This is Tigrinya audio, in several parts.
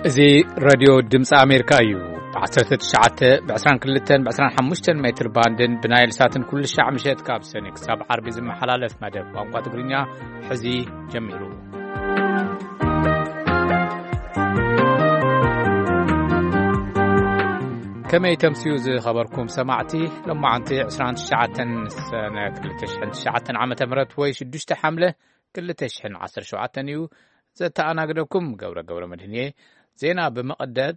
እዚ ሬድዮ ድምፂ ኣሜሪካ እዩ። ብ19፣ ብ22፣ ብ25 ሜትር ባንድን ብናይል ሳትን ኩሉ ሻዕ ምሸት ካብ ሰኒ ክሳብ ዓርቢ ዝመሓላለፍ መደብ ቋንቋ ትግርኛ ሕዚ ጀሚሩ። ከመይ ተምስዩ ዝኸበርኩም ሰማዕቲ? ሎማዓንቲ 29 ሰነ 2009 ዓ ም ወይ 6 ሓምለ 2017 እዩ። ዘተኣናግደኩም ገብረ ገብረ መድህን እየ። ዜና ብምቕደድ፣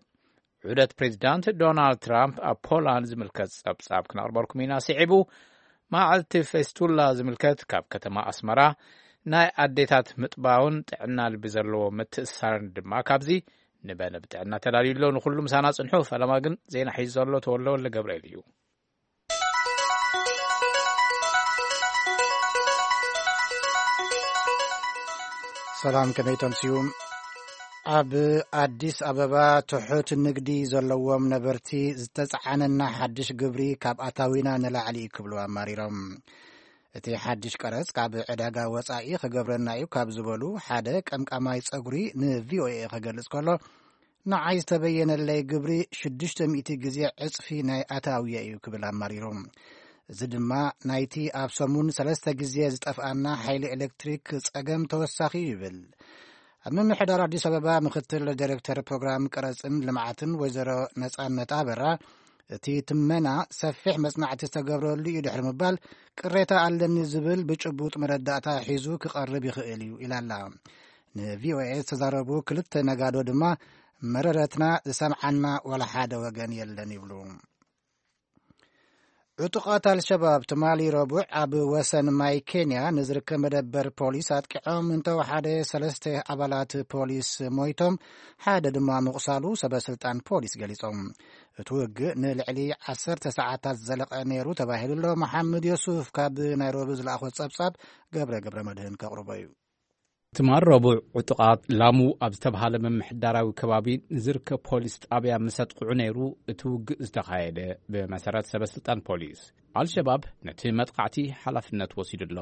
ዑደት ፕሬዚዳንት ዶናልድ ትራምፕ ኣብ ፖላንድ ዝምልከት ጸብጻብ ክነቕርበልኩም ኢና። ስዒቡ፣ መዓልቲ ፌስቱላ ዝምልከት ካብ ከተማ ኣስመራ፣ ናይ ኣዴታት ምጥባውን ጥዕና ልቢ ዘለዎ ምትእስሳርን ድማ ካብዚ ንበለ ብጥዕና ተዳልዩ ኣሎ። ንኹሉ ምሳና ጽንሑ። ፈለማ ግን ዜና ሒዙ ዘሎ ተወልደ ወልደ ገብርኤል እዩ። ሰላም፣ ከመይ ተምስዩ? ኣብ ኣዲስ ኣበባ ትሑት ንግዲ ዘለዎም ነበርቲ ዝተጻዓነና ሓድሽ ግብሪ ካብ ኣታዊና ንላዕሊ እዩ ክብሉ ኣማሪሮም። እቲ ሓድሽ ቀረጽ ካብ ዕዳጋ ወጻኢ ክገብረና እዩ ካብ ዝበሉ ሓደ ቀምቃማይ ጸጉሪ ንቪኦኤ ክገልጽ ከሎ፣ ንዓይ ዝተበየነለይ ግብሪ ሽዱሽተ ሚእቲ ግዜ ዕጽፊ ናይ ኣታውየ እዩ ክብል ኣማሪሩ። እዚ ድማ ናይቲ ኣብ ሰሙን ሰለስተ ግዜ ዝጠፍኣና ሓይሊ ኤሌክትሪክ ጸገም ተወሳኺ እዩ ይብል። ኣብ ምምሕዳር ኣዲስ ኣበባ ምክትል ዳይሬክተር ፕሮግራም ቀረጽን ልምዓትን ወይዘሮ ነጻነት ኣበራ፣ እቲ ትመና ሰፊሕ መጽናዕቲ ዝተገብረሉ እዩ ድሕሪ ምባል፣ ቅሬታ ኣለኒ ዝብል ብጭቡጥ መረዳእታ ሒዙ ክቐርብ ይኽእል እዩ ኢላ ኣላ። ንቪኦኤ ዝተዛረቡ ክልተ ነጋዶ ድማ፣ መረረትና ዝሰምዓና ዋላ ሓደ ወገን የለን ይብሉ። ዕጡቓት ኣልሸባብ ትማሊ ረቡዕ ኣብ ወሰን ማይ ኬንያ ንዝርከብ መደበር ፖሊስ ኣጥቂዖም እንተወሓደ ሰለስተ ኣባላት ፖሊስ ሞይቶም፣ ሓደ ድማ ምቑሳሉ ሰበ ስልጣን ፖሊስ ገሊጾም። እቲ ውግእ ንልዕሊ ዓሰርተ ሰዓታት ዝዘለቐ ነይሩ ተባሂሉ ኣሎ። መሓመድ ዮሱፍ ካብ ናይሮቢ ዝለኣኾ ጸብጻብ ገብረ ገብረ መድህን ከቕርቦ እዩ። ትማል ረቡዕ ዕጡቓት ላሙ ኣብ ዝተብሃለ ምምሕዳራዊ ከባቢ ንዝርከብ ፖሊስ ጣብያ ምስ ኣጥቕዑ ነይሩ እቲ ውግእ ዝተኻየደ። ብመሰረት ሰበ ስልጣን ፖሊስ፣ ኣልሸባብ ነቲ መጥቃዕቲ ሓላፍነት ወሲዱ ኣሎ።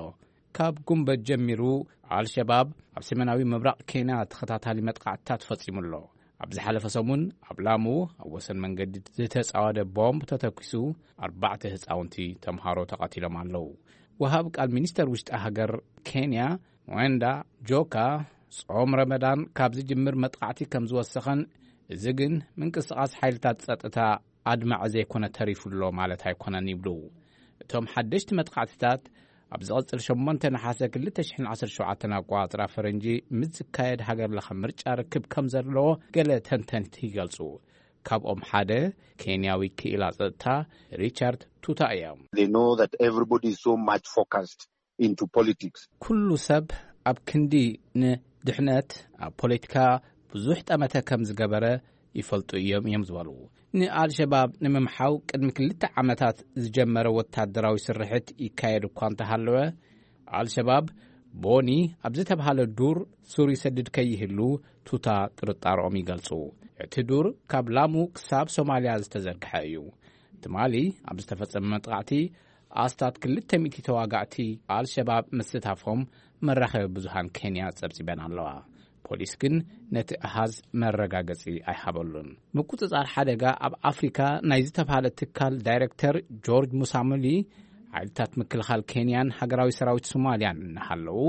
ካብ ጉንበት ጀሚሩ ኣልሸባብ ኣብ ሰሜናዊ ምብራቕ ኬንያ ተኸታታሊ መጥቃዕትታት ፈጺሙ ኣሎ። ኣብ ዝሓለፈ ሰሙን ኣብ ላሙ ኣብ ወሰን መንገዲ ዝተጻወደ ቦምብ ተተኲሱ፣ ኣርባዕተ ህጻውንቲ ተምሃሮ ተቐቲሎም ኣለዉ። ወሃብ ቃል ሚኒስተር ውሽጢ ሃገር ኬንያ፣ ወንዳ ጆካ፣ ጾም ረመዳን ካብ ዝጅምር መጥቃዕቲ ከም ዝወሰኸን፣ እዚ ግን ምንቅስቓስ ሓይልታት ጸጥታ ኣድማዒ ዘይኮነ ተሪፉ ኣሎ ማለት ኣይኮነን ይብሉ። እቶም ሓደሽቲ መጥቃዕትታት ኣብ ዝቐጽል ሸሞንተ ነሓሰ 2017 ኣቋጽራ ፈረንጂ ምስ ዝካየድ ሃገር ለኸ ምርጫ ርክብ ከም ዘለዎ ገለ ተንተንቲ ይገልጹ። ካብኦም ሓደ ኬንያዊ ክኢላ ጸጥታ ሪቻርድ ቱታ እዮም። They know that everybody is so much focused into politics. ኩሉ ሰብ ኣብ ክንዲ ንድሕነት ኣብ ፖለቲካ ብዙሕ ጠመተ ከም ዝገበረ ይፈልጡ እዮም እዮም ዝበሉ። ንኣልሸባብ ንምምሓው ቅድሚ ክልተ ዓመታት ዝጀመረ ወታደራዊ ስርሕት ይካየድ እኳ እንተሃለወ፣ ኣልሸባብ ቦኒ ኣብ ዝተብሃለ ዱር ሱር ይሰድድ ከይህሉ ቱታ ጥርጣሮኦም ይገልጹ። እቲ ዱር ካብ ላሙ ክሳብ ሶማልያ ዝተዘርግሐ እዩ። ትማሊ ኣብ ዝተፈጸመ መጥቃዕቲ ኣስታት ክልተ ሚእቲ ተዋጋእቲ ኣልሸባብ ምስታፎም መራኸቢ ብዙሃን ኬንያ ጸብጺበን ኣለዋ። ፖሊስ ግን ነቲ ኣሃዝ መረጋገጺ ኣይሃበሉን። ምቁጽጻር ሓደጋ ኣብ ኣፍሪካ ናይ ዝተብሃለ ትካል ዳይሬክተር ጆርጅ ሙሳሙሊ፣ ሓይልታት ምክልኻል ኬንያን ሃገራዊ ሰራዊት ሶማልያን እናሃለዉ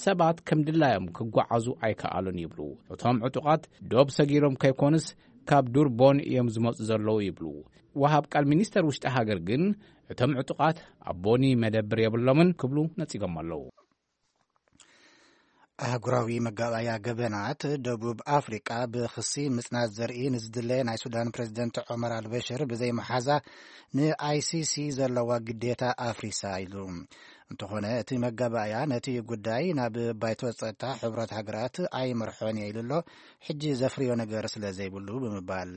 ሰባት ከም ድላዮም ክጓዓዙ ኣይከኣሉን ይብሉ። እቶም ዕጡቓት ዶብ ሰጊሮም ከይኮኑስ ካብ ዱር ቦኒ እዮም ዝመጹ ዘለዉ ይብሉ። ወሃብ ቃል ሚኒስተር ውሽጢ ሃገር ግን እቶም ዕጡቓት ኣብ ቦኒ መደብር የብሎምን ክብሉ ነጺጎም ኣለዉ። ኣህጉራዊ መጋባእያ ገበናት ደቡብ ኣፍሪቃ ብኽሲ ምጽናት ዘርኢ ንዝድለ ናይ ሱዳን ፕሬዝደንት ዑመር ኣልበሽር ብዘይመሓዛ ንኣይሲሲ ዘለዋ ግዴታ ኣፍሪሳ ኢሉ። እንተኾነ እቲ መጋባእያ ነቲ ጉዳይ ናብ ባይቶ ጸጥታ ሕቡራት ሃገራት ኣይመርሖን እየ ኢሉ ኣሎ፣ ሕጂ ዘፍርዮ ነገር ስለ ዘይብሉ ብምባል።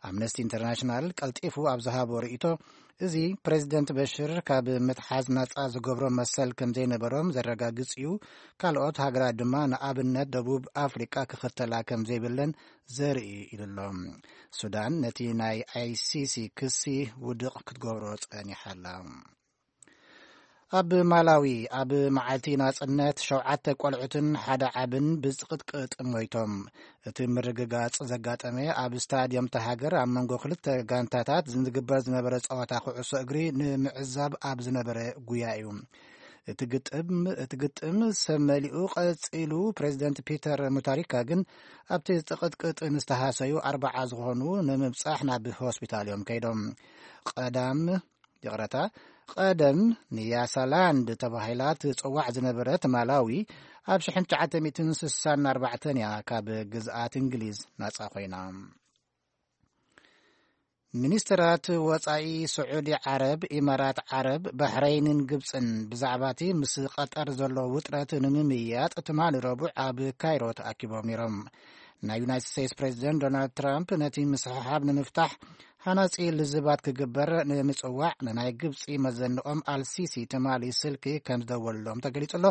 ኣምነስቲ ኢንተርናሽናል ቀልጢፉ ኣብ ዝሃቦ ርእይቶ፣ እዚ ፕሬዝደንት በሽር ካብ ምትሓዝ ናጻ ዝገብሮ መሰል ከም ዘይነበሮም ዘረጋግጽ እዩ፣ ካልኦት ሃገራት ድማ ንኣብነት ደቡብ ኣፍሪቃ ክኽተላ ከም ዘይብለን ዘርኢ ኢሉ ኣሎ። ሱዳን ነቲ ናይ ኣይሲሲ ክሲ ውድቕ ክትገብሮ ጸኒሓ ኣላ። ኣብ ማላዊ ኣብ መዓልቲ ናጽነት ሸውዓተ ቆልዑትን ሓደ ዓብን ብጽቕጥቅጥ ሞይቶም። እቲ ምርግጋጽ ዘጋጠመ ኣብ ስታድየም እታ ሃገር ኣብ መንጎ ክልተ ጋንታታት ዝግበር ዝነበረ ጸወታ ኩዕሶ እግሪ ንምዕዛብ ኣብ ዝነበረ ጉያ እዩ። እቲ ግጥም፣ እቲ ግጥም ሰብ መሊኡ ቀጺሉ። ፕሬዚደንት ፒተር ሙታሪካ ግን ኣብቲ ጽቕጥቅጥ ንዝተሃሰዩ ኣርባዓ ዝኾኑ ንምብጻሕ ናብ ሆስፒታል እዮም ከይዶም። ቀዳም ይቕረታ፣ ቀደም ንያሳላንድ ተባሂላ ትጽዋዕ ዝነበረት ማላዊ ኣብ ሽሕን ትሽዓተ ሚእትን ስሳን ኣርባዕተን እያ ካብ ግዝኣት እንግሊዝ ናጻ ኮይና። ሚኒስትራት ወጻኢ ስዑዲ ዓረብ፣ ኢማራት ዓረብ፣ ባሕረይንን ግብጽን ብዛዕባ እቲ ምስ ቀጠር ዘሎ ውጥረት ንምምይያጥ ትማሊ ረቡዕ ኣብ ካይሮ ተኣኪቦም ነይሮም። ናይ ዩናይትድ ስቴትስ ፕሬዚደንት ዶናልድ ትራምፕ ነቲ ምስሕሓብ ንምፍታሕ ሃናጺ ልዝባት ክግበር ንምጽዋዕ ንናይ ግብጺ መዘንኦም ኣልሲሲ ትማሊ ስልኪ ከም ዝደወልሎም ተገሊጹ ኣሎ።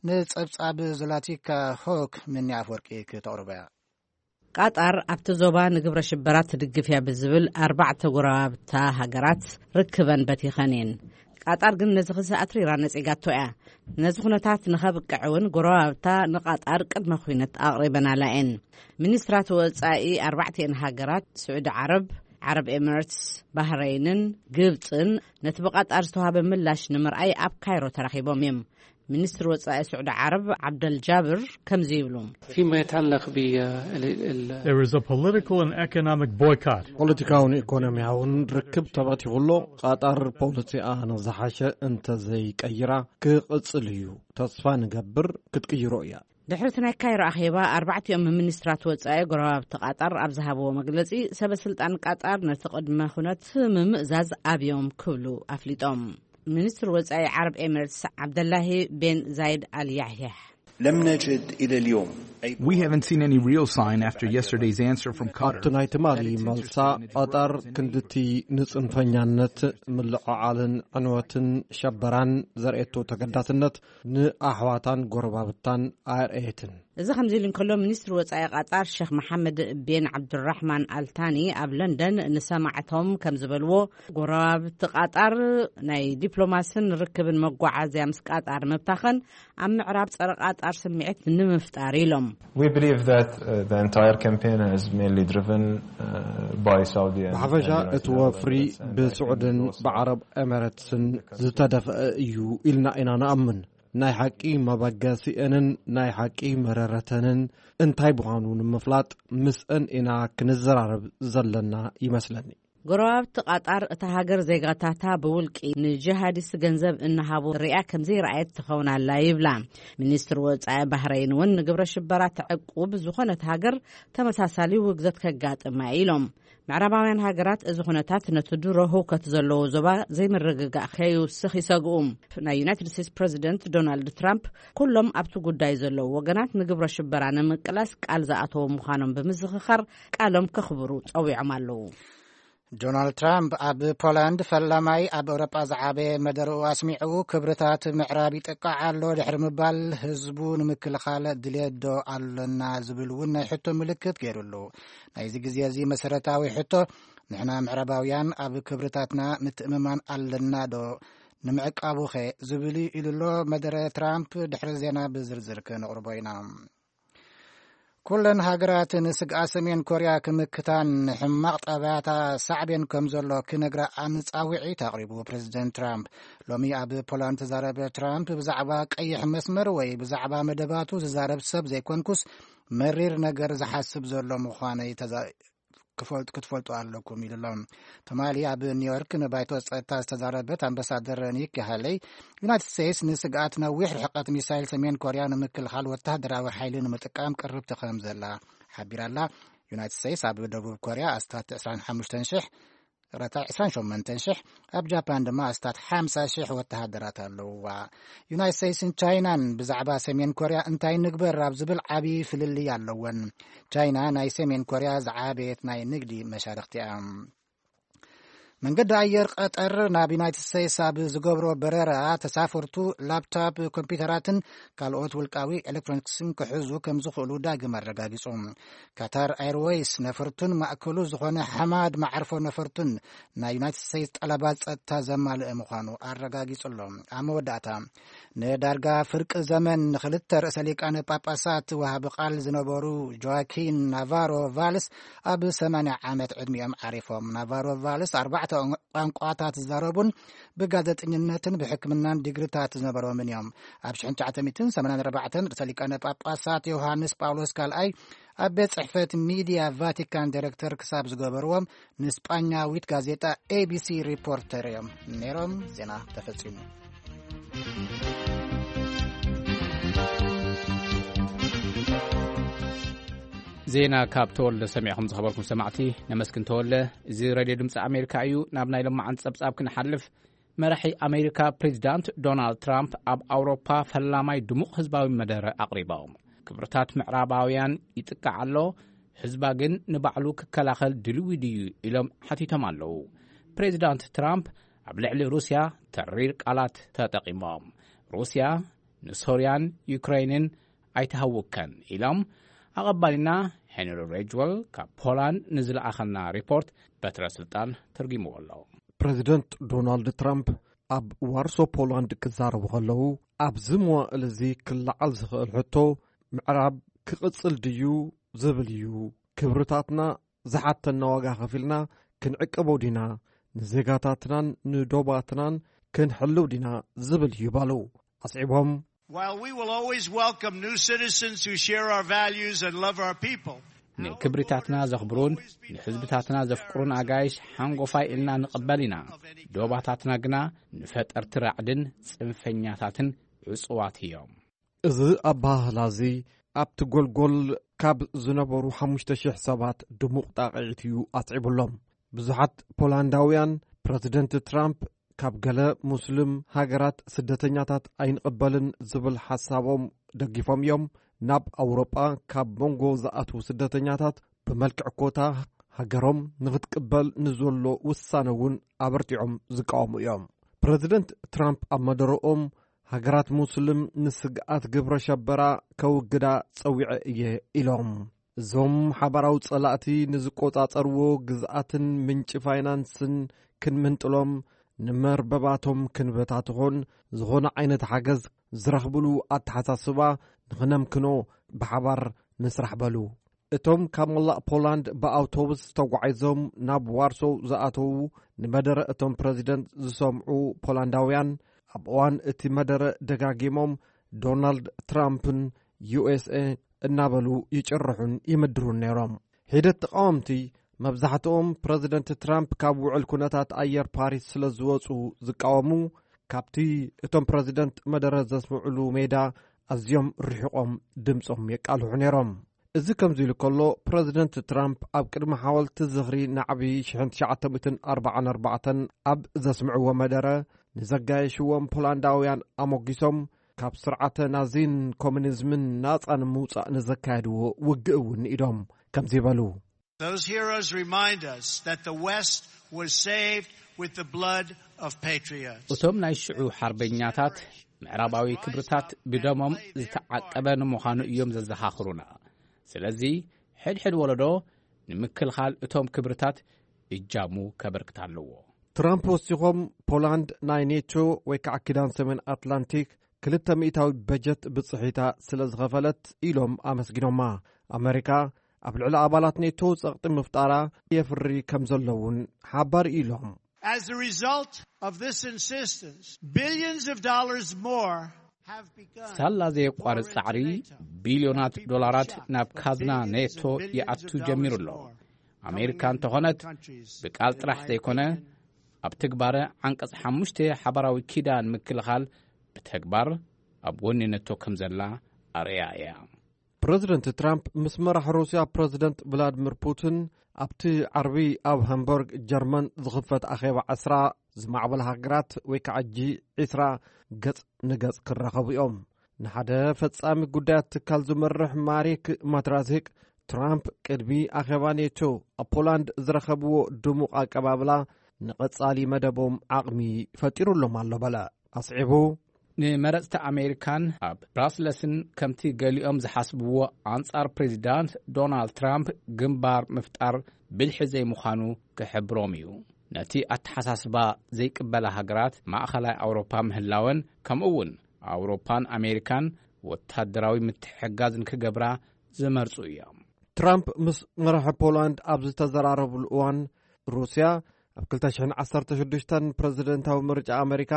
ንጸብጻብ ዙላቲካ ሆክ ምኒ ኣፍወርቂ ክተቕርቦ እያ። ቃጣር ኣብቲ ዞባ ንግብረ ሽበራ ትድግፍ እያ ብዝብል ኣርባዕተ ጎረባብታ ሃገራት ርክበን በቲኸን እየን። ቃጣር ግን ነዚ ክሲ ኣትሪራ ነጺጋቶ እያ። ነዚ ኩነታት ንኸብቅዕ እውን ጎረባብታ ንቃጣር ቅድመ ኩነት ኣቕሪበናላ እየን። ሚኒስትራት ወጻኢ ኣርባዕቲኤን ሃገራት ስዑዲ ዓረብ፣ ዓረብ ኤሚሬትስ፣ ባህረይንን ግብጽን ነቲ ብቃጣር ዝተዋሃበ ምላሽ ንምርኣይ ኣብ ካይሮ ተራኺቦም እዮም። ሚኒስትር ወጻኢ ስዑዲ ዓረብ ዓብደል ጃብር ከምዚ ይብሉ። فيما يتعلق بال- ال- ال- There is a political and economic boycott. ፖለቲካውን ኢኮኖሚያውን ርክብ ተበቲኹ ኣሎ። ቃጣር ፖለሲኣ ንዝሓሸ እንተዘይቀይራ ክቕጽል እዩ። ተስፋ ንገብር ክትቅይሮ እያ። ድሕሪ እቲ ናይ ካይሮ ኣኼባ ኣርባዕቲኦም ሚኒስትራት ወጻኢ ጎረባብቲ ቃጣር ኣብ ዝሃብዎ መግለጺ፣ ሰበ ስልጣን ቃጣር ነቲ ቅድመ ኩነት ምምእዛዝ ኣብዮም ክብሉ ኣፍሊጦም። ሚኒስትር ወጻኢ ዓረብ ኤሚሬትስ ዓብደላሂ ቤን ዛይድ ኣል ያሕያሕ لم نجد إلى اليوم أي We haven't seen any real sign after yesterday's answer from ኣብቲ Qatar. ናይ ትማሊ መልሳ ቐጠር ክንድቲ ንጽንፈኛነት ምልዕዓልን ዕንወትን ሸበራን ዘርእየቶ ተገዳስነት ንኣሕዋታን ጎረባብታን ኣርኣየትን። እዚ ከምዚ ኢሉ እንከሎ፣ ሚኒስትሪ ወጻኢ ቃጣር ሸኽ መሓመድ ቤን ዓብዱራሕማን ኣልታኒ ኣብ ለንደን ንሰማዕቶም ከም ዝበልዎ፣ ጎረባብቲ ቃጣር ናይ ዲፕሎማስን ርክብን መጓዓዝያ ምስ ቃጣር ምብታኸን ኣብ ምዕራብ ጸረ ቃጣር ስምዒት ንምፍጣር ኢሎም። We believe that uh, the entire campaign is mainly driven uh, by Saudi and ብሓፈሻ and United እቲ Arab ወፍሪ Emirates, and I think ብስዑድን it's also ብዓረብ ኤመረትስን ዝተደፍአ እዩ ኢልና ኢና ንኣምን። ናይ ሓቂ መበገሲአንን ናይ ሓቂ መረረተንን እንታይ ምዃኑ ንምፍላጥ ምስአን ኢና ክንዘራረብ ዘለና ይመስለኒ። ጎረባብቲ ቃጣር እታ ሃገር ዜጋታታ ብውልቂ ንጂሃዲስት ገንዘብ እናሃቡ ሪኣ ከም ዘይረኣየት ትኸውን ኣላ ይብላ። ሚኒስትሪ ወጻኢ ባህረይን እውን ንግብረ ሽበራ ተዕቁብ ዝኾነት ሃገር ተመሳሳሊ ውግዘት ከጋጥማ ኢሎም። ምዕራባውያን ሃገራት እዚ ኩነታት ነቲ ድሮ ህውከት ዘለዎ ዞባ ዘይምርግጋእ ከይውስኽ ይሰግኡ። ናይ ዩናይትድ ስቴትስ ፕሬዚደንት ዶናልድ ትራምፕ ኩሎም ኣብቲ ጉዳይ ዘለዉ ወገናት ንግብረ ሽበራ ንምቅላስ ቃል ዝኣተዉ ምዃኖም ብምዝኽኻር ቃሎም ከኽብሩ ጸዊዖም ኣለዉ። ዶናልድ ትራምፕ ኣብ ፖላንድ ፈላማይ ኣብ ኤውሮጳ ዝዓበየ መደርኡ ኣስሚዑ፣ ክብርታት ምዕራብ ይጥቃዕ ኣሎ ድሕሪ ምባል፣ ህዝቡ ንምክልኻል ድልየት ዶ ኣሎና ዝብል እውን ናይ ሕቶ ምልክት ገይሩሉ። ናይዚ ግዜ እዚ መሰረታዊ ሕቶ፣ ንሕና ምዕራባውያን ኣብ ክብርታትና ምትእምማን ኣለና ዶ፣ ንምዕቃቡኸ ዝብል እዩ ኢሉ ኣሎ መደረ ትራምፕ። ድሕሪ ዜና ብዝርዝር ክነቕርቦ ኢና። ኩለን ሃገራት ንስግኣት ሰሜን ኮርያ ክምክታን ሕማቕ ጠባያታ ሳዕቤን ከም ዘሎ ክነግራ ኣንጻውዒት ኣቕሪቡ ፕሬዚደንት ትራምፕ። ሎሚ ኣብ ፖላንድ ተዛረበ ትራምፕ፣ ብዛዕባ ቀይሕ መስመር ወይ ብዛዕባ መደባቱ ዝዛረብ ሰብ ዘይኮንኩስ፣ መሪር ነገር ዝሓስብ ዘሎ ምዃነይ ተዛ- ክፈልጥ ክትፈልጡ ኣለኩም ኢሉ ኣሎ። ትማሊ ኣብ ኒውዮርክ ንባይቶ ጸጥታ ዝተዛረበት ኣምባሳደር ኒኪ ሃለይ፣ ዩናይትድ ስቴትስ ንስግኣት ነዊሕ ርሕቀት ሚሳይል ሰሜን ኮርያ ንምክልኻል ወታደራዊ ሓይሊ ንምጥቃም ቅርብቲ ከም ዘላ ሓቢራ ኣላ። ዩናይትድ ስቴትስ ኣብ ደቡብ ኮርያ ኣስታት ዕስራን ሓሙሽተን ሽሕ፣ ረታ ዕስራን ሸሞንተን ሽሕ፣ ኣብ ጃፓን ድማ ኣስታት ሓምሳ ሽሕ ወተሃደራት ኣለውዋ። ዩናይት ስቴትስን ቻይናን ብዛዕባ ሰሜን ኮርያ እንታይ ንግበር ኣብ ዝብል ዓብዪ ፍልልይ ኣለወን። ቻይና ናይ ሰሜን ኮርያ ዝዓበየት ናይ ንግዲ መሻርኽቲ እያ። መንገዲ ኣየር ቀጠር ናብ ዩናይትድ ስቴትስ ኣብ ዝገብሮ በረራ፣ ተሳፈርቱ ላፕቶፕ ኮምፒውተራትን ካልኦት ውልቃዊ ኤሌክትሮኒክስን ክሕዙ ከም ዝኽእሉ ዳግም ኣረጋጊጹ። ካታር ኤርዌይስ ነፈርቱን ማእከሉ ዝኾነ ሓማድ መዓርፎ ነፈርቱን ናይ ዩናይትድ ስቴትስ ጠለባት ጸጥታ ዘማልአ ምዃኑ ኣረጋጊጹ ኣሎ። ኣብ መወዳእታ፣ ንዳርጋ ፍርቂ ዘመን ንኽልተ ርእሰ ሊቃነ ጳጳሳት ወሃቢ ቃል ዝነበሩ ጆዋኪን ናቫሮ ቫልስ ኣብ ሰማንያ ዓመት ዕድሚኦም ዓሪፎም። ናቫሮ ቫልስ ኣርባዕተ ቋንቋታት ዝዛረቡን ብጋዜጠኝነትን ብሕክምናን ዲግሪታት ዝነበሮምን እዮም። ኣብ ሽሕን ትሽዓተ ሚእትን ሰማንያን ኣርባዕተን ርእሰ ሊቃነ ጳጳሳት ዮሃንስ ጳውሎስ ካልኣይ ኣብ ቤት ጽሕፈት ሚድያ ቫቲካን ዲሬክተር ክሳብ ዝገበርዎም፣ ንስጳኛዊት ጋዜጣ ኤቢሲ ሪፖርተር እዮም ነይሮም። ዜና ተፈጺሙ። ዜና ካብ ተወልደ ሰሚዕኹም ዝኸበርኩም ሰማዕቲ ነመስግን። ተወልደ፣ እዚ ሬድዮ ድምፂ ኣሜሪካ እዩ። ናብ ናይ ሎማዓንቲ ጸብጻብ ክንሓልፍ፣ መራሒ ኣሜሪካ ፕሬዚዳንት ዶናልድ ትራምፕ ኣብ ኣውሮፓ ፈላማይ ድሙቕ ህዝባዊ መደረ ኣቕሪቦም። ክብርታት ምዕራባውያን ይጥቃዕ ኣሎ፣ ህዝባ ግን ንባዕሉ ክከላኸል ድልዊ ድዩ ኢሎም ሓቲቶም ኣለዉ። ፕሬዚዳንት ትራምፕ ኣብ ልዕሊ ሩስያ ተሪር ቃላት ተጠቒሞም። ሩስያ ንሶርያን ዩክሬንን ኣይትሃውከን ኢሎም ኣቐባሊና ሄንሪ ሬጅወል ካብ ፖላንድ ንዝለኣኸልና ሪፖርት በትረ ስልጣን ተርጊምዎ ኣሎ። ፕሬዚደንት ዶናልድ ትራምፕ ኣብ ዋርሶ ፖላንድ ክዛረቡ ከለዉ፣ ኣብዚ መዋእል እዚ ክለዓል ዝኽእል ሕቶ፣ ምዕራብ ክቕጽል ድዩ ዝብል እዩ። ክብርታትና ዝሓተና ዋጋ ከፊልና ክንዕቀቦ ዲና፣ ንዜጋታትናን ንዶባትናን ክንሕልው ዲና ዝብል እዩ በሉ። ኣስዒቦም፣ While we will always welcome new citizens who share our values and love our people, ንክብሪታትና ዘኽብሩን ንህዝብታትና ዘፍቅሩን ኣጋይሽ ሓንጎፋይ ኢልና ንቕበል ኢና። ዶባታትና ግና ንፈጠርቲ ራዕድን ጽንፈኛታትን ዕጹዋት እዮም። እዚ ኣበሃህላ እዚ ኣብቲ ጎልጎል ካብ ዝነበሩ ሓሙሽተ ሽሕ ሰባት ድሙቕ ጣቕዒት እዩ ኣስዒቡሎም። ብዙሓት ፖላንዳውያን፣ ፕረዚደንት ትራምፕ ካብ ገለ ሙስሊም ሃገራት ስደተኛታት ኣይንቕበልን ዝብል ሓሳቦም ደጊፎም እዮም። ናብ ኣውሮጳ ካብ መንጎ ዝኣትዉ ስደተኛታት ብመልክዕ ኮታ ሃገሮም ንኽትቅበል ንዘሎ ውሳነ እውን ኣበርቲዖም ዝቃወሙ እዮም። ፕረዚደንት ትራምፕ ኣብ መደረኦም፣ ሃገራት ሙስሊም ንስግኣት ግብረ ሸበራ ከውግዳ ጸዊዐ እየ ኢሎም። እዞም ሓባራዊ ጸላእቲ ንዝቆጻጸርዎ ግዝኣትን ምንጪ ፋይናንስን ክንምንጥሎም፣ ንመርበባቶም ክንበታትኾን ዝኾነ ዓይነት ሓገዝ ዝረኽብሉ ኣተሓሳስባ ንኽነምክኖ ብሓባር ንስራሕ በሉ። እቶም ካብ መላእ ፖላንድ ብኣውቶቡስ ተጓዒዞም ናብ ዋርሶ ዝኣተዉ ንመደረ እቶም ፕረዚደንት ዝሰምዑ ፖላንዳውያን፣ ኣብ እዋን እቲ መደረ ደጋጊሞም ዶናልድ ትራምፕን ዩኤስኤ እናበሉ ይጭርሑን ይምድሩን ነይሮም። ሒደት ተቃወምቲ፣ መብዛሕትኦም ፕረዚደንት ትራምፕ ካብ ውዕል ኩነታት ኣየር ፓሪስ ስለ ዝወጹ ዝቃወሙ፣ ካብቲ እቶም ፕረዚደንት መደረ ዘስምዑሉ ሜዳ ኣዝዮም ርሒቖም ድምጾም የቃልሑ ነይሮም። እዚ ከምዚ ኢሉ ከሎ፣ ፕረዚደንት ትራምፕ ኣብ ቅድሚ ሓወልቲ ዝኽሪ ናዕቢ ሽሕን ትሽዓተ ሚእትን ኣርባዓን ኣርባዕተን ኣብ ዘስምዕዎ መደረ፣ ንዘጋየሽዎም ፖላንዳውያን ኣሞጊሶም፣ ካብ ስርዓተ ናዚን ኮሙኒዝምን ናጻ ንምውጻእ ንዘካየድዎ ውግእ እውን ንኢዶም ከምዚ ይበሉ። Those heroes remind us that the West was saved with the blood of patriots. እቶም ናይ ሽዑ ሓርበኛታት፣ ምዕራባዊ ክብርታት ብደሞም ዝተዓቀበ ንምዃኑ እዮም ዘዘኻኽሩና። ስለዚ፣ ሕድሕድ ወለዶ ንምክልኻል እቶም ክብርታት እጃሙ ከበርክት ኣለዎ። ትራምፕ ወሲኾም፣ ፖላንድ ናይ ኔቶ ወይ ከዓ ኪዳን ሰሜን ኣትላንቲክ ክልተ ሚእታዊ በጀት ብጽሒታ ስለ ዝኸፈለት ኢሎም ኣመስጊኖማ። ኣመሪካ ኣብ ልዕሊ ኣባላት ኔቶ ጸቕጢ ምፍጣራ የፍሪ ከም ዘሎ እውን ሓባር ኢሎም። As a result of this insistence, billions of dollars more have begun ሳላ ዘየቋርጽ ጻዕሪ፣ ቢልዮናት ዶላራት ናብ ካዝና ኔቶ ይኣቱ ጀሚሩ ኣሎ። ኣሜሪካ እንተኾነት፣ ብቃል ጥራሕ ዘይኮነ፣ ኣብ ትግባረ ዓንቀጽ ሓሙሽተ ሓባራዊ ኪዳን ምክልኻል ብተግባር ኣብ ጎኒ ኔቶ ከም ዘላ ኣርእያ እያ። ፕረዚደንት ትራምፕ ምስ መራሕ ሩስያ ፕረዚደንት ቭላድሚር ፑቲን ኣብቲ ዓርቢ ኣብ ሃምበርግ ጀርመን ዝኽፈት ኣኼባ ዕስራ ዝማዕበላ ሃገራት ወይ ከዓ ጂ ዕስራ ገጽ ንገጽ ክራኸቡ እዮም። ንሓደ ፈጻሚ ጉዳያት ትካል ዝመርሕ ማሪክ ማትራዚክ፣ ትራምፕ ቅድሚ ኣኼባ ኔቶ ኣብ ፖላንድ ዝረኸብዎ ድሙቕ ኣቀባብላ ንቐጻሊ መደቦም ዓቕሚ ፈጢሩሎም ኣሎ በለ። ኣስዒቡ፣ ንመረጽቲ ኣሜሪካን ኣብ ብራስለስን ከምቲ ገሊኦም ዝሓስብዎ ኣንጻር ፕሬዚዳንት ዶናልድ ትራምፕ ግንባር ምፍጣር ብልሒ ዘይምዃኑ ክሕብሮም እዩ። ነቲ ኣተሓሳስባ ዘይቅበላ ሃገራት ማእኸላይ ኣውሮፓ ምህላወን፣ ከምኡ እውን ኣውሮፓን ኣሜሪካን ወታደራዊ ምትሕግጋዝ ንክገብራ ዝመርጹ እዮም። ትራምፕ ምስ መራሒ ፖላንድ ኣብ ዝተዘራረብሉ እዋን፣ ሩስያ ኣብ ክልተ ሽሕን ዓሰርተ ሽዱሽተን ፕረዚደንታዊ ምርጫ ኣመሪካ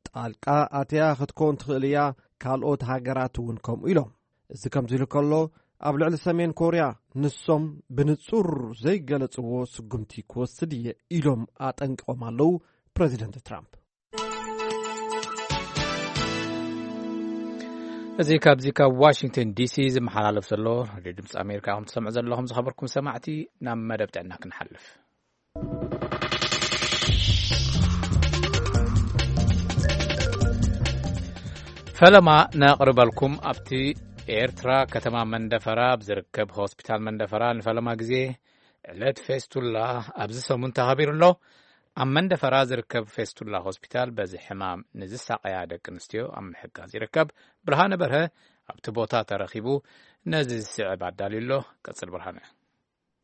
ጣልቃ ኣትያ ክትከውን ትኽእል እያ፣ ካልኦት ሃገራት እውን ከምኡ ኢሎም። እዚ ከምዚ ኢሉ ከሎ፣ ኣብ ልዕሊ ሰሜን ኮርያ ንሶም ብንጹር ዘይገለጽዎ ስጉምቲ ክወስድ እየ ኢሎም ኣጠንቂቖም ኣለዉ ፕረዚደንት ትራምፕ። እዚ ካብዚ ካብ ዋሽንግተን ዲሲ ዝመሓላለፍ ዘሎ ሬድዮ ድምፂ ኣሜሪካ ከም ትሰምዑ ዘለኹም፣ ዝኸበርኩም ሰማዕቲ፣ ናብ መደብ ጥዕና ክንሓልፍ። ፈለማ ነቕርበልኩም፣ ኣብቲ ኤርትራ ከተማ መንደፈራ ኣብ ዝርከብ ሆስፒታል መንደፈራ ንፈለማ ግዜ ዕለት ፌስቱላ ኣብዚ ሰሙን ተኸቢሩ ኣሎ። ኣብ መንደፈራ ዝርከብ ፌስቱላ ሆስፒታል በዚ ሕማም ንዝሳቐያ ደቂ ኣንስትዮ ኣብ ምሕጋዝ ይርከብ። ብርሃነ በርሀ ኣብቲ ቦታ ተረኺቡ ነዚ ዝስዕብ ኣዳልዩ ኣሎ። ቀጽል ብርሃነ።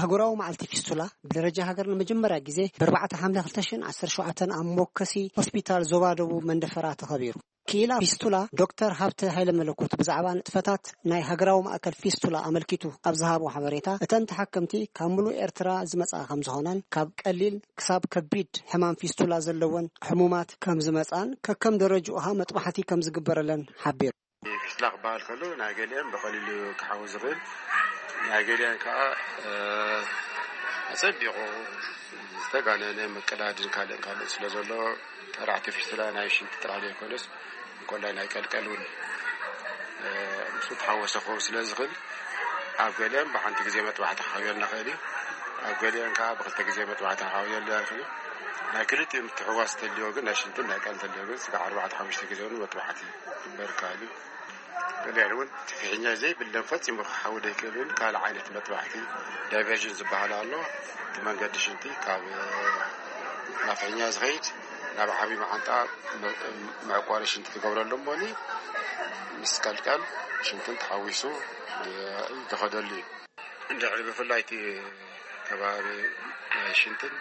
ኣህጉራዊ መዓልቲ ፊስቱላ ብደረጃ ሃገር ንመጀመርያ ግዜ ብ ኣርባዕተ ሓምለ ክልተ ሽሕን ዓሰርተ ሸውዓተን ኣብ ሞከሲ ሆስፒታል ዞባ ደቡብ መንደፈራ ተኸቢሩ። ክኢላ ፊስቱላ ዶክተር ሃብተ ሃይለ መለኮት ብዛዕባ ንጥፈታት ናይ ሃገራዊ ማእከል ፊስቱላ ኣመልኪቱ ኣብ ዝሃቦ ሓበሬታ፣ እተን ተሓከምቲ ካብ ምሉእ ኤርትራ ዝመጻ ከም ዝኾነን ካብ ቀሊል ክሳብ ከቢድ ሕማም ፊስቱላ ዘለወን ሕሙማት ከም ዝመጻን ከከም ደረጅኡ ኸኣ መጥባሕቲ ከም ዝግበረለን ሓቢሩ። ፊስቱላ ክበሃል ከሎ ናይ ገሊአን ብቐሊሉ ክሓዊ ዝኽእል፣ ናይ ገሊአን ከኣ፣ እ፣ ኣጸቢቑ ዝተጋነነ ምቅዳድን ካልእን ካልእን ስለ ዘሎ፣ ጠራዕቲ ፊስቱላ ናይ ሽንቲ ጥራሕ ዘይኮነስ፣ እንኮላይ ናይ ቀልቀል እውን፣ እ፣ ምስኡ ተሓወሰ ክኸውን ስለ ዝኽእል፣ ኣብ ገሊአን ብሓንቲ ግዜ መጥባሕቲ ክሓውየልና ይኽእል እዩ። ኣብ ገሊአን ከኣ ብክልተ ግዜ መጥባሕቲ ክሓውየልና ይኽእል እዩ። ናይ ክልቲኡ ምትሕውዋስ እንተልዮ ግን፣ ናይ ሽንትን ናይ ቀልቀል እንተልዮ ግን፣ ስጋዕ ኣርባዕተ ሓሙሽተ ግዜ እውን መጥባሕቲ ክግበር ይከኣል እዩ። ገሊአን እውን እቲ ፍሕኛ ዘይብለን ፈጺሙ ክሓዊ ዘይክእል እውን ካልእ ዓይነት መጥባሕቲ ዳይቨርዥን ዝበሃል ኣሎ። እቲ መንገዲ ሽንቲ ካብ ናብ ፍሕኛ ዝኸይድ ናብ ዓቢ መዓንጣ መ-፣ መዕቆሪ ሽንቲ ትገብረሉ እሞኒ ምስ ቀልቀል ሽንትን ተሓዊሱ ዝኸደሉ እዩ። እንድሕሪ ብፍላይ እቲ ከባቢ ናይ ሽንትን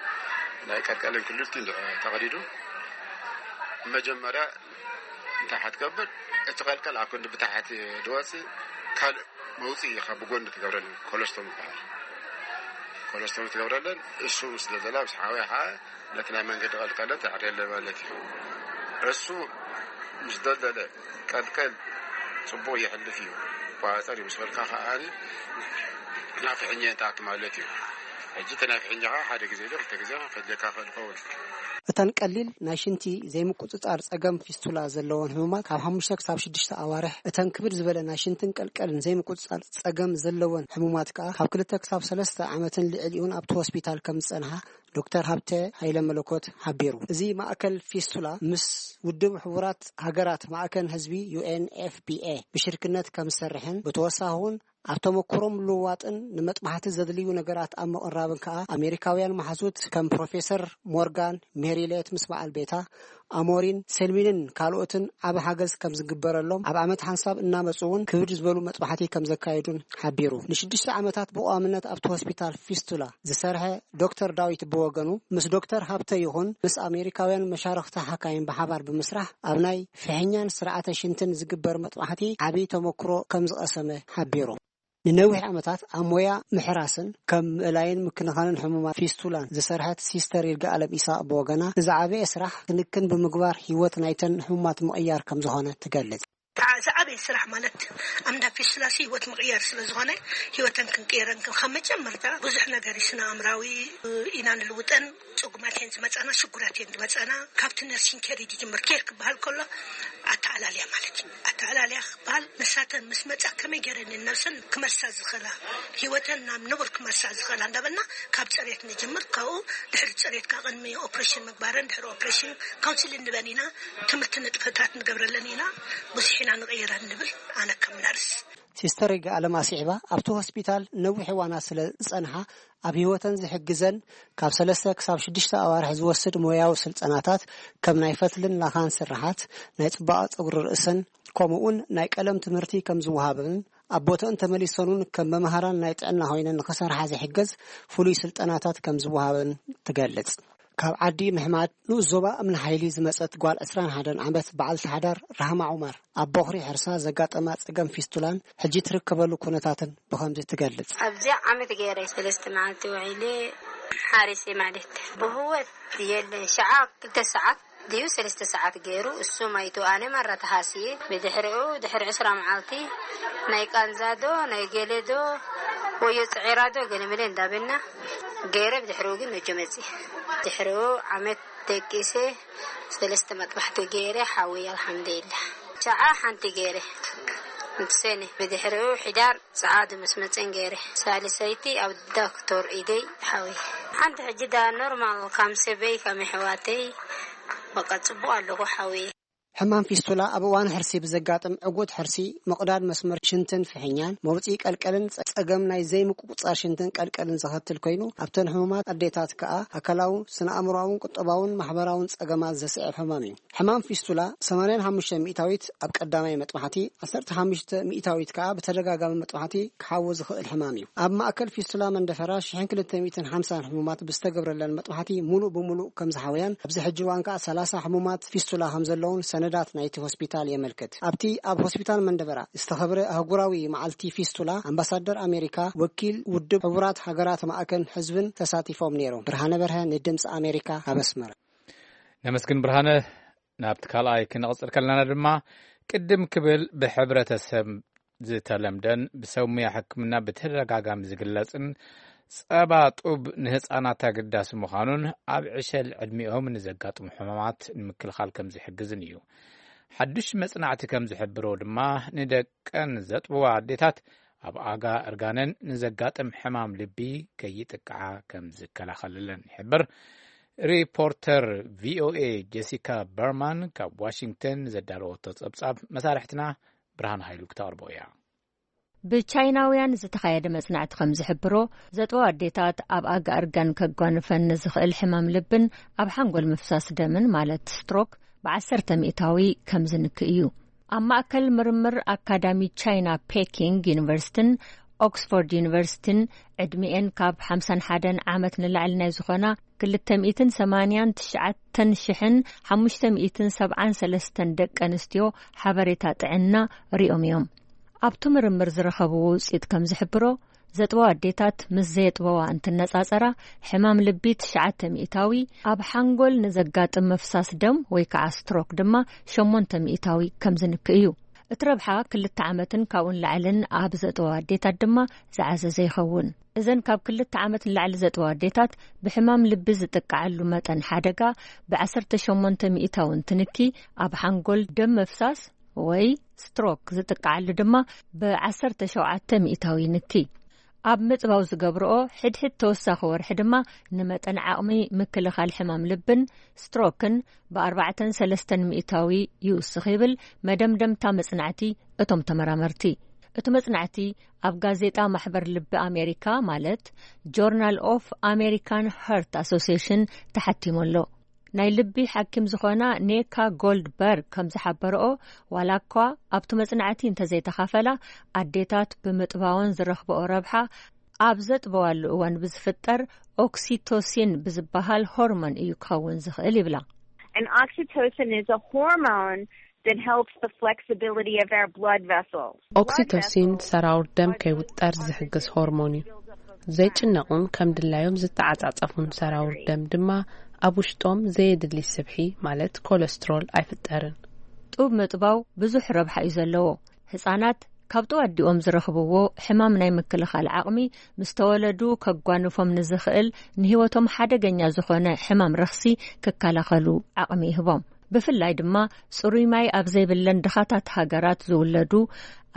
ናይ ቀልቀልን ክልቲኡ እንድሕሪ ተቐዲዱ፣ መጀመርያ እንታይ ክትገብር፣ እቲ ቀልቀል ኣብ ክንዲ ብታሕቲ ድወፂ ካልእ መውፅኢ ካብ ብጎኒ ትገብረለን ኮለስቶሚ ይበሃል። ኮለስቶሚ ትገብረለን፣ እሱ ምስ ደልደላ ምስ ሓወያ ከዓ ነቲ ናይ መንገዲ ቀልቀለ ተዕርየለ ማለት እዩ። እሱ ምስ ደልደለ ቀልቀል ጽቡቕ ይሕልፍ እዩ። ቋጸር እዩ ምስ በልካ ከኣ ናብ ፍሕኛ ይኣቱ ማለት እዩ። ሕጂ እቲ ናይ ፍሕኛ ከኣ ሓደ ግዜ ዶ ክልተ ግዜ ከድልየካ ይኽእል ይኸውን። እተን ቀሊል ናይ ሽንቲ ዘይምቁጽጻር ጸገም ፊስቱላ ዘለወን ሕሙማት ካብ ሓሙሽተ ክሳብ ሽዱሽተ ኣዋርሕ፣ እተን ክብድ ዝበለ ናይ ሽንትን ቀልቀልን ዘይምቁጽጻር ጸገም ዘለወን ሕሙማት ከኣ ካብ ክልተ ክሳብ ሰለስተ ዓመትን ልዕሊኡን ኣብቲ ሆስፒታል ከም ዝጸንሓ ዶክተር ሃብተ ሃይለ መለኮት ሓቢሩ። እዚ ማእከል ፊስቱላ ምስ ውድብ ሕቡራት ሃገራት ማእከል ህዝቢ፣ ዩ ኤን ኤፍ ፒ ኤ፣ ብሽርክነት ከም ዝሰርሕን ብተወሳኺ እውን ኣብ ተመክሮ ምልውዋጥን ንመጥባሕቲ ዘድልዩ ነገራት ኣብ ምቕራብን ከኣ ኣሜሪካውያን መሓዙት ከም ፕሮፌሰር ሞርጋን ሜሪሌት ምስ በዓል ቤታ ኣሞሪን ሴልሚንን ካልኦትን ዓቢ ሓገዝ ከም ዝግበረሎም፣ ኣብ ዓመት ሓንሳብ እናመጹ እውን ክብድ ዝበሉ መጥባሕቲ ከም ዘካየዱን ሓቢሩ። ንሽዱሽተ ዓመታት ብቐዋምነት ኣብቲ ሆስፒታል ፊስቱላ ዝሰርሐ ዶክተር ዳዊት ብወገኑ፣ ምስ ዶክተር ሃብተ ይኹን ምስ ኣሜሪካውያን መሻርኽቲ ሓካይም ብሓባር ብምስራሕ ኣብ ናይ ፍሕኛን ስርዓተ ሽንትን ዝግበር መጥባሕቲ ዓቢ ተመክሮ ከም ዝቐሰመ ሓቢሩ። ንነዊሕ ዓመታት ኣብ ሞያ ምሕራስን ከም ምእላይን ምክንኻንን ሕሙማት ፊስቱላን ዝሰርሐት ሲስተር ይርጋኣለም ኢሳቕ ብወገና፣ ዝዓበየ ስራሕ ክንክን ብምግባር ህይወት ናይተን ሕሙማት ምቕያር ከም ዝኾነ ትገልጽ። ዝዓበየ ስራሕ ማለት ኣብ እንዳ ፊስቱላሲ ህይወት ምቕያር ስለ ዝኾነ፣ ህይወተን ክንቅየረን፣ ካብ መጀመርታ ብዙሕ ነገር እዩ፣ ስነ ኣእምራዊ ኢና ንልውጠን። ጽጉማት እየን ዝመጻና፣ ሽጉራት እየን ዝመጻና። ካብቲ ነርሲንግ ኬር እዩ ዝጅምር። ኬር ክበሃል ከሎ ኣተኣላልያ ማለት እዩ። ኣተኣላልያ ክበሃል ንሳተን ምስ መጻ ከመይ ገይረን እየን ነብሰን ክመልሳ ዝኽእላ፣ ህይወተን ናብ ንቡር ክመልሳ ዝኽእላ እንዳበልና ካብ ጽሬት ንጅምር። ካብኡ ድሕሪ ጽሬት ካብ ቅድሚ ኦፕሬሽን ምግባረን፣ ድሕሪ ኦፕሬሽን ካውንስሊንግ ንበን ኢና፣ ትምህርቲ ንጥፈታት ንገብረለን ኢና፣ ብዙሕ ኢና ንቕይረን ንብል ኣነ ከም ነርስ። ሲስተር ይግኣለም ኣስዒባ፣ ኣብቲ ሆስፒታል ነዊሕ እዋናት ስለ ዝጸንሓ፣ ኣብ ህይወተን ዝሕግዘን ካብ ሰለስተ ክሳብ ሽዱሽተ ኣዋርሕ ዝወስድ ሞያዊ ስልጠናታት፣ ከም ናይ ፈትልን ላኻን ስርሓት፣ ናይ ጽባቐ ጸጉሪ ርእሰን፣ ከምኡውን ናይ ቀለም ትምህርቲ ከም ዝወሃበንን፣ ኣብ ቦተን ተመሊሰን እውን ከም መምሃራን ናይ ጥዕና ኮይነን ንኽሰርሓ ዝሕግዝ ፍሉይ ስልጠናታት ከም ዝወሃበን ትገልጽ። ካብ ዓዲ ምሕማድ ንኡስ ዞባ እምኒ ሓይሊ ዝመጸት ጓል ዕስራን ሓደን ዓመት በዓልቲ ሓዳር ራህማ ዑመር፣ ኣብ ቦኽሪ ሕርሳ ዘጋጠማ ጸገም ፊስቱላን ሕጂ ትርከበሉ ኩነታትን ብኸምዚ ትገልጽ። ኣብዚኣ ዓመት ገይረ ሰለስተ መዓልቲ ውዒለ ሓሪሰ ማለት ብህወት የለን። ሸዓ ክልተ ሰዓት ድዩ ሰለስተ ሰዓት ገይሩ፣ እሱ ማይቱ ኣነ ማራ ተሃስየ። ብድሕሪኡ ድሕሪ ዕስራ መዓልቲ ናይ ቃንዛዶ ናይ ገለዶ ወዮ ጽዒራዶ ገለመለ እንዳበልና ገይረ፣ ብድሕሪኡ ግን ነጆ መጽየ። ድሕሪኡ ዓመት ደቂሰ ሰለስተ መጥባሕቲ ገይረ ሓዊ ኣልሓምዱሊላህ። ሸዓ ሓንቲ ገይረ እንትሰነ ብድሕሪኡ ሕዳር ጸዓዱ ምስ መጸን ገይረ ሳልሰይቲ ኣብ ዶክተር ኢደይ ሓዊ ሓንቲ ሕጂ ዳ ኖርማል ካም ሰበይ ካም ኣሕዋተይ በቃ ጽቡቕ ኣለኹ ሓዊ። ሕማም ፊስቱላ ኣብ እዋን ሕርሲ ብዘጋጥም ዕጉት ሕርሲ፣ ምቕዳድ መስመር ሽንትን ፍሕኛን፣ መውጽኢ ቀልቀልን ጸ-፣ ጸገም ናይ ዘይምቁጽጻር ሽንትን ቀልቀልን ዘኸትል ኮይኑ፣ ኣብተን ሕሙማት ኣዴታት ከኣ ኣካላዊ፣ ስነ-ኣእምሮኣውን ቁጠባውን ማሕበራውን ጸገማት ዘስዕብ ሕማም እዩ። ሕማም ፊስቱላ ሰማንያን ሓሙሽተ ሚእታዊት ኣብ ቀዳማይ መጥባሕቲ፣ ዓሰርተ ሓሙሽተ ሚእታዊት ከኣ ብተደጋጋሚ መጥባሕቲ ክሓዊ ዝኽእል ሕማም እዩ። ኣብ ማእከል ፊስቱላ መንደፈራ ሽሕን ክልተ ሚእትን ሓምሳን ሕሙማት ብዝተገብረለን መጥባሕቲ፣ ሙሉእ ብሙሉእ ከም ዝሓወያን፣ ኣብዚ ሕጂ እዋን ከኣ ሰላሳ ሕሙማት ፊስቱላ ከም ዘለውን ሰነዳት ናይቲ ሆስፒታል የመልክት። ኣብቲ ኣብ ሆስፒታል መንደፈራ ዝተኸብረ ኣህጉራዊ መዓልቲ ፊስቱላ፣ ኣምባሳደር ኣሜሪካ፣ ወኪል ውድብ ሕቡራት ሃገራት ማእከል ህዝብን ተሳቲፎም ነይሮም። ብርሃነ በርሀ ንድምፂ ኣሜሪካ ካብ ኣስመራ። ነመስግን ብርሃነ። ናብቲ ካልኣይ ክንቕጽል ከለና ድማ፣ ቅድም ክብል ብሕብረተሰብ ዝተለምደን ብሰብ ሙያ ሕክምና ብተደጋጋሚ ዝግለጽን፣ ጸባ ጡብ ንህጻናት ኣገዳሲ ምዃኑን ኣብ ዕሸል ዕድሚኦም ንዘጋጥሙ ሕማማት ንምክልኻል ከም ዝሕግዝን እዩ። ሓድሽ መጽናዕቲ ከም ዝሕብሮ ድማ፣ ንደቀን ዘጥብዋ ኣዴታት ኣብ ኣጋ እርጋነን ንዘጋጥም ሕማም ልቢ ከይጥቅዓ ከም ዝከላኸለለን ይሕብር። ሪፖርተር ቪኦኤ ጀሲካ በርማን ካብ ዋሽንግተን ዘዳለወቶ ጸብጻብ መሳርሕትና ብርሃን ሃይሉ ክተቕርቦ እያ። ብቻይናውያን ዝተኻየደ መጽናዕቲ ከም ዝሕብሮ፣ ዘጥበዋ ኣዴታት ኣብ ኣጋ እርጋን ከጓንፈን ንዝኽእል ሕማም ልብን ኣብ ሓንጎል ምፍሳስ ደምን፣ ማለት ስትሮክ፣ ብዓሰርተ ሚእታዊ ከም ዝንክእ እዩ። ኣብ ማእከል ምርምር ኣካዳሚ ቻይና ፔኪንግ ዩኒቨርሲቲን ኦክስፎርድ ዩኒቨርሲቲን፣ ዕድሚኤን ካብ ሓምሳን ሓደን ዓመት ንላዕሊ ናይ ዝኾና ክልተ ሚእትን ሰማንያን ትሽዓተን ሽሕን ሓሙሽተ ሚእትን ሰብዓን ሰለስተን ደቂ ኣንስትዮ ሓበሬታ ጥዕና ሪኦም እዮም። ኣብቲ ምርምር ዝረኸብዎ ውጽኢት ከም ዝሕብሮ፣ ዘጥበዋ ኣዴታት ምስ ዘየጥበዋ እንትነጻጸራ፣ ሕማም ልቢ ትሽዓተ ሚእታዊ፣ ኣብ ሓንጎል ንዘጋጥም ምፍሳስ ደም ወይ ከዓ ስትሮክ ድማ ሸሞንተ ሚእታዊ ከም ዝንክእ እዩ። እቲ ረብሓ ክልተ ዓመትን ካብኡን ላዕልን ኣብ ዘጥበዋ ኣዴታት ድማ ዝዓዘዘ ይኸውን። እዘን ካብ ክልተ ዓመት ንላዕሊ ዘጥበዋ ኣዴታት ብሕማም ልቢ ዝጥቃዓሉ መጠን ሓደጋ ብዓሰርተ ሸሞንተ ሚእታዊ እንትንኪ፣ ኣብ ሓንጎል ደም ምፍሳስ ወይ ስትሮክ ዝጥቃዓሉ ድማ ብዓሰርተ ሸውዓተ ሚእታዊ ይንኪ። ኣብ ምጥባው ዝገብርኦ ሕድሕድ ተወሳኺ ወርሒ ድማ ንመጠን ዓቕሚ ምክልኻል ሕማም ልብን ስትሮክን ብኣርባዕተን ሰለስተን ሚእታዊ ይውስኽ ይብል መደምደምታ መጽናዕቲ እቶም ተመራመርቲ። እቲ መጽናዕቲ ኣብ ጋዜጣ ማሕበር ልቢ ኣሜሪካ፣ ማለት ጆርናል ኦፍ ኣሜሪካን ሀርት ኣሶሲዬሽን ተሓቲሙ ኣሎ። ናይ ልቢ ሓኪም ዝኾና ኔካ ጎልድበርግ ከም ዝሓበረኦ፣ ዋላ እኳ ኣብቲ መጽናዕቲ እንተዘይተኻፈላ፣ ኣዴታት ብምጥባወን ዝረኽበኦ ረብሓ ኣብ ዘጥበዋሉ እዋን ብዝፍጠር ኦክሲቶሲን ብዝበሃል ሆርሞን እዩ ክኸውን ዝኽእል ይብላ። And oxytocin is a hormone that helps the flexibility of our blood vessels. ኦክሲቶሲን ሰራውር ደም ከይውጠር ዝሕግዝ ሆርሞን እዩ። ዘይጭነቑን ከም ድላዮም ዝተዓጻጸፉን ሰራውር ደም ድማ ኣብ ውሽጦም ዘየድሊ ስብሒ፣ ማለት ኮለስትሮል፣ ኣይፍጠርን። ጡብ ምጥባው ብዙሕ ረብሓ እዩ ዘለዎ። ህጻናት ካብ ጡብ ኣዲኦም ዝረኽብዎ ሕማም ናይ ምክልኻል ዓቕሚ፣ ምስ ተወለዱ ከጓንፎም ንዝኽእል ንህይወቶም ሓደገኛ ዝኾነ ሕማም ረኽሲ ክከላኸሉ ዓቕሚ ይህቦም። ብፍላይ ድማ ጽሩይ ማይ ኣብ ዘይብለን ድኻታት ሃገራት ዝውለዱ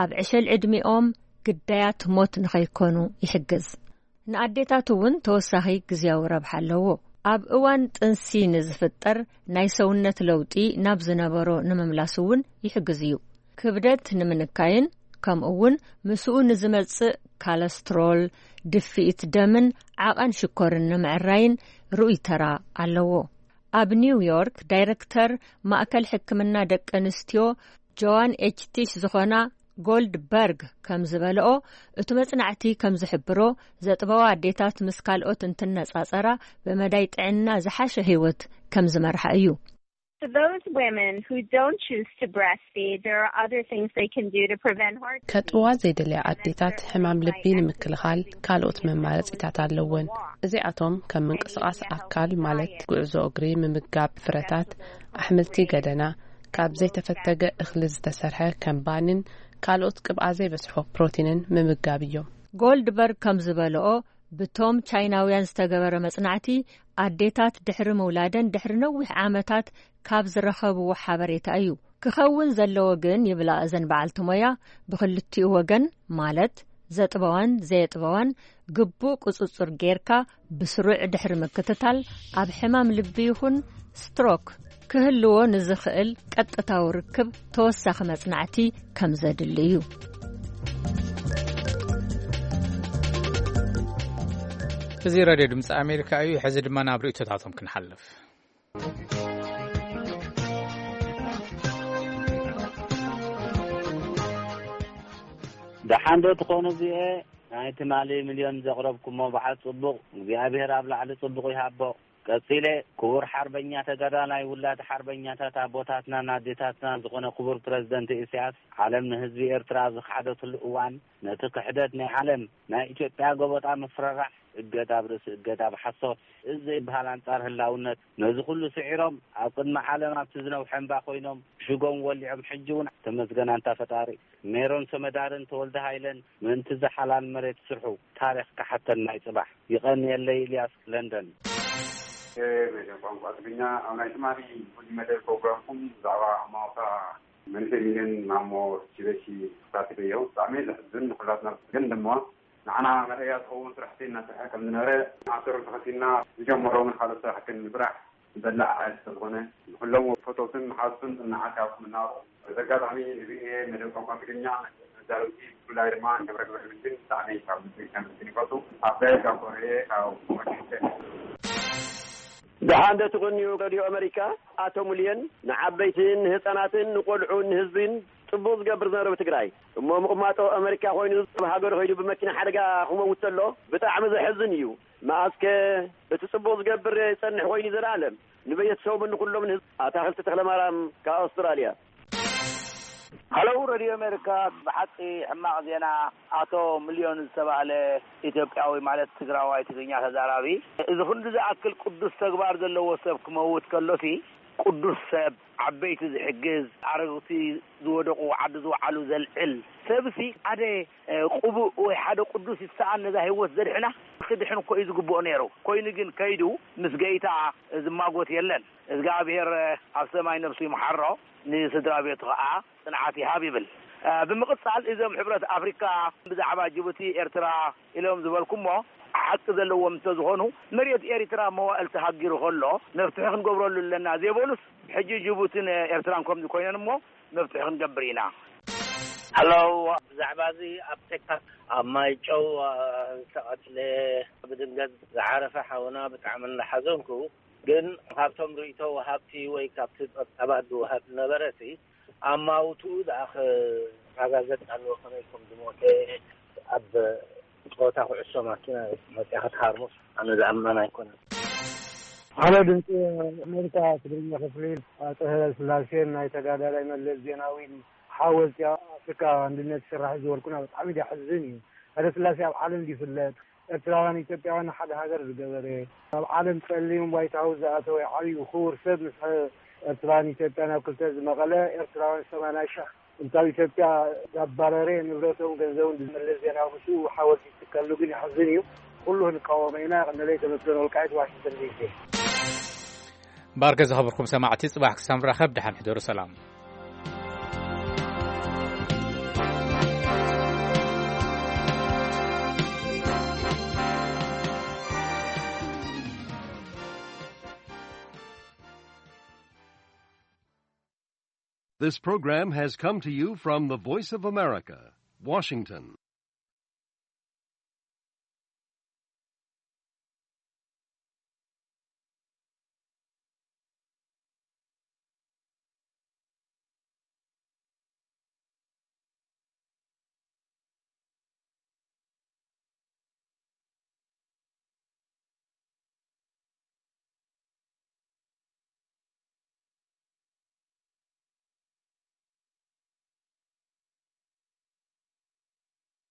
ኣብ ዕሸል ዕድሚኦም ግዳያት ሞት ንኸይኮኑ ይሕግዝ። ንኣዴታት እውን ተወሳኺ ግዝያዊ ረብሓ ኣለዎ። ኣብ እዋን ጥንሲ ንዝፍጠር ናይ ሰውነት ለውጢ ናብ ዝነበሮ ንምምላስ እውን ይሕግዝ እዩ። ክብደት ንምንካይን ከምኡ እውን ምስኡ ንዝመጽእ ካለስትሮል፣ ድፍኢት ደምን ዓቐን ሽኮርን ንምዕራይን ርኡይ ተራ ኣለዎ። ኣብ ኒውዮርክ ዳይረክተር ማእከል ሕክምና ደቂ ኣንስትዮ ጆዋን ኤች ቲሽ ዝኾና ጎልድበርግ ከም ዝበልኦ፣ እቲ መጽናዕቲ ከም ዝሕብሮ፣ ዘጥበዋ ኣዴታት ምስ ካልኦት እንትነጻጸራ፣ ብመዳይ ጥዕና ዝሓሸ ህይወት ከም ዝመርሓ እዩ። For those women who don't choose to breastfeed, there are other things they can do to prevent heart disease. ከጥብዋ ዘይደልያ ኣዴታት ሕማም ልቢ ንምክልኻል ካልኦት መማረፂታት ኣለወን። እዚኣቶም ከም ምንቅስቓስ ኣካል ማለት ጉዕዞ እግሪ፣ ምምጋብ ፍረታት፣ ኣሕምልቲ፣ ገደና፣ ካብ ዘይተፈተገ እኽሊ ዝተሰርሐ ከም ባንን ካልኦት ቅብኣ ዘይበዝሖ ፕሮቲንን ምምጋብ እዮም። ጎልድበርግ ከም ዝበልኦ፣ ብቶም ቻይናውያን ዝተገበረ መጽናዕቲ፣ ኣዴታት ድሕሪ ምውላደን ድሕሪ ነዊሕ ዓመታት ካብ ዝረኸብዎ ሓበሬታ እዩ። ክኸውን ዘለዎ ግን፣ ይብላ እዘን በዓልቲ ሞያ፣ ብኽልቲኡ ወገን ማለት ዘጥበዋን ዘየጥበዋን ግቡእ ቁጽጽር ጌርካ ብስሩዕ ድሕሪ ምክትታል፣ ኣብ ሕማም ልቢ ይኹን ስትሮክ ክህልዎ ንዝኽእል ቀጥታዊ ርክብ ተወሳኺ መጽናዕቲ ከም ዘድሊ እዩ። እዚ ሬድዮ ድምፂ ኣሜሪካ እዩ። ሕዚ ድማ ናብ ርእይቶታቶም ክንሓልፍ። ደሓን ዶ ትኾኑ እዚኤ? ናይ ትማሊ ሚልዮን ዘቕረብኩሞ በዓል ጽቡቕ እግዚኣብሔር ኣብ ላዕሊ ጽቡቕ ይሃቦ። ቀጺለ ክቡር ሓርበኛ ተጋዳላይ ውላድ ሓርበኛታት ኣቦታትናን ኣዴታትናን ዝኾነ ክቡር ፕረዚደንት ኢሳያስ ዓለም ንህዝቢ ኤርትራ ዝኸሓደትሉ እዋን ነቲ ክሕደት ናይ ዓለም ናይ ኢትዮጵያ ጎበጣ ምፍርራሕ እገዳ ኣብ ርእሲ እገዳ ብሓሶት እዚ ዘይበሃል ኣንጻር ህላውነት ነዚ ኩሉ ስዒሮም ኣብ ቅድሚ ዓለም ኣብቲ ዝነውሐ እምባ ኮይኖም ሽጎም ወሊዖም ሕጂ እውን ተመስገን ኣንታ ፈጣሪ ሜሮን ሰመዳርን ተወልደ ሃይለን ምእንቲ እዛ ሓላል መሬት ስርሑ ታሪኽ ክሓተና እዩ ጽባሕ። ይቐንየለይ ኢልያስ ለንደን። መደብ ቋንቋ ትግርኛ ኣብ ናይ ትማሊ ፍሉይ መደብ ፕሮግራምኩም ብዛዕባ ኣማውታ መንእሰይ ሚልዮን ማሞ ሺበሺ ክሳተፍ እዮ። ብጣዕሚ ዘሕዝን ንኩላትና ግን ድማ ንዓና መርኣያ ዝኸውን ስራሕቲ እናሰርሐ ከም ዝነበረ ኣሰሩ ተኸቲልና ዝጀመሮ እውን ካልኦት ስራሕቲ ንምስራሕ ዝበላዕ ሓይል ስለዝኾነ ንኩሎም ፈተውትን መሓዙትን ጽንዓት ይሃብኩም እናበልኩ በዚ ኣጋጣሚ እዚ መደብ ቋንቋ ትግርኛ መዛረብቲ ብፍላይ ድማ ንገብረ ገብረ መድህን ብጣዕሚ ካብ ልቢ ከመስግን ይፈቱ። ኣባይ ካብ ኮረየ ካብ ዋሽንግተን። ደሓን ዶ ትቕንዩ ሬድዮ ኣመሪካ? ኣቶ ሙልየን ንዓበይትን ንህፃናትን ንቆልዑን ንህዝብን ፅቡቕ ዝገብር ዝነበረ ብትግራይ እሞ ምቕማጦ ኣመሪካ ኮይኑ ኣብ ሃገሩ ከይዱ ብመኪና ሓደጋ ክመውት ተሎ ብጣዕሚ ዘሕዝን እዩ። መኣስከ እቲ ጽቡቕ ዝገብር ይጸንሕ ኮይኑ ዘላለም ንቤተሰቦምን ንኹሎም ንህዝቢ ኣታኽልቲ ተኽለማርያም ካብ ኣውስትራልያ። ሃለው ረድዮ ኣሜሪካ ብሓቂ ሕማቕ ዜና። ኣቶ ሚልዮን ዝተባህለ ኢትዮጵያዊ ማለት ትግራዋይ ትግርኛ ተዛራቢ እዚ ክንዲ ዝኣክል ቅዱስ ተግባር ዘለዎ ሰብ ክመውት ከሎሲ ቅዱስ ሰብ ዓበይቲ ዝሕግዝ ኣረግቲ ዝወደቑ ዓዲ ዝወዓሉ ዘልዕል ሰብሲ ሓደ ቅቡእ ወይ ሓደ ቅዱስ ይሰኣን ነዛ ህይወት ዘድሕና ክድሕን እኮ እዩ ዝግብኦ ነይሩ። ኮይኑ ግን ከይዱ ምስ ገይታ ዝማጎት የለን። እዝጋኣብሄር ኣብ ሰማይ ነብሱ ይምሓሮ፣ ንስድራ ቤቱ ኸዓ ጽንዓት ይሃብ ይብል። ብምቕጻል እዞም ሕብረት ኣፍሪካ ብዛዕባ ጅቡቲ ኤርትራ ኢሎም ዝበልኩሞ ሓቂ ዘለዎም እንተዝኾኑ መሬት ኤሪትራ መዋእል ተሃጊሩ ከሎ መፍትሒ ክንገብረሉ ኣለና ዘይበሉስ ሕጂ ጅቡትን ኤርትራን ከምዚ ኮይነን እሞ መፍትሒ ክንገብር ኢና። ሃሎ፣ ብዛዕባ እዚ ኣብ ቴክሳስ ኣብ ማይጨው ዝተቐትለ ብድንገት ዝዓረፈ ሓውና ብጣዕሚ እናሓዘንኩ ግን ካብቶም ርእይቶ ወሃብቲ ወይ ካብቲ ጸብጻባት ዝወሃብ ዝነበረ ሲ ኣማውትኡ ደኣ ክረጋገጽ ኣለዎ ከመይ ከም ዝሞተ ኣብ ጸወታ ኩዕሶ ማኪና መጺኣ ክትሃርሞ ኣነ ዝኣምን ኣይኮነን። ሃሎ ድምፂ ኣሜሪካ ትግርኛ ክፍሊ ኣቶ ሃይለ ስላሴን ናይ ተጋዳላይ መለስ ዜናዊን ሓወልቲ ኣብ ኣፍሪካ ኣንድነት ይስራሕ ዝበልኩና ብጣዕሚ ዘሕዝን እዩ። ሃይለ ስላሴ ኣብ ዓለም ይፍለጥ። ኤርትራውያን ኢትዮጵያውያን ሓደ ሃገር ዝገበረ ኣብ ዓለም ጸሊም ዋይት ሃውስ ዝኣተወ ዓብዩ ክቡር ሰብ ምስ ኤርትራን ኢትዮጵያን ኣብ ክልተ ዝመቐለ ኤርትራውያን ሰማንያ ሺሕ እንታብ ኢትዮጵያ ዛባረረ ንብረቶም ገንዘቡን ዝመለስ ዜናዊ ምስኡ ሓወልቲ ዝትከሉ ግን ይሕዝን እዩ። ኩሉ ክንቃወሞ ኢና። ቀንደለይ ተመስገን ወልቃይት ዋሽንግተን ዲሲ። ባርከ ዝኸበርኩም ሰማዕቲ ጽባሕ ክሳብ ንራኸብ ደሓን ሕደሩ ሰላም። This program has come to you from the Voice of America, Washington.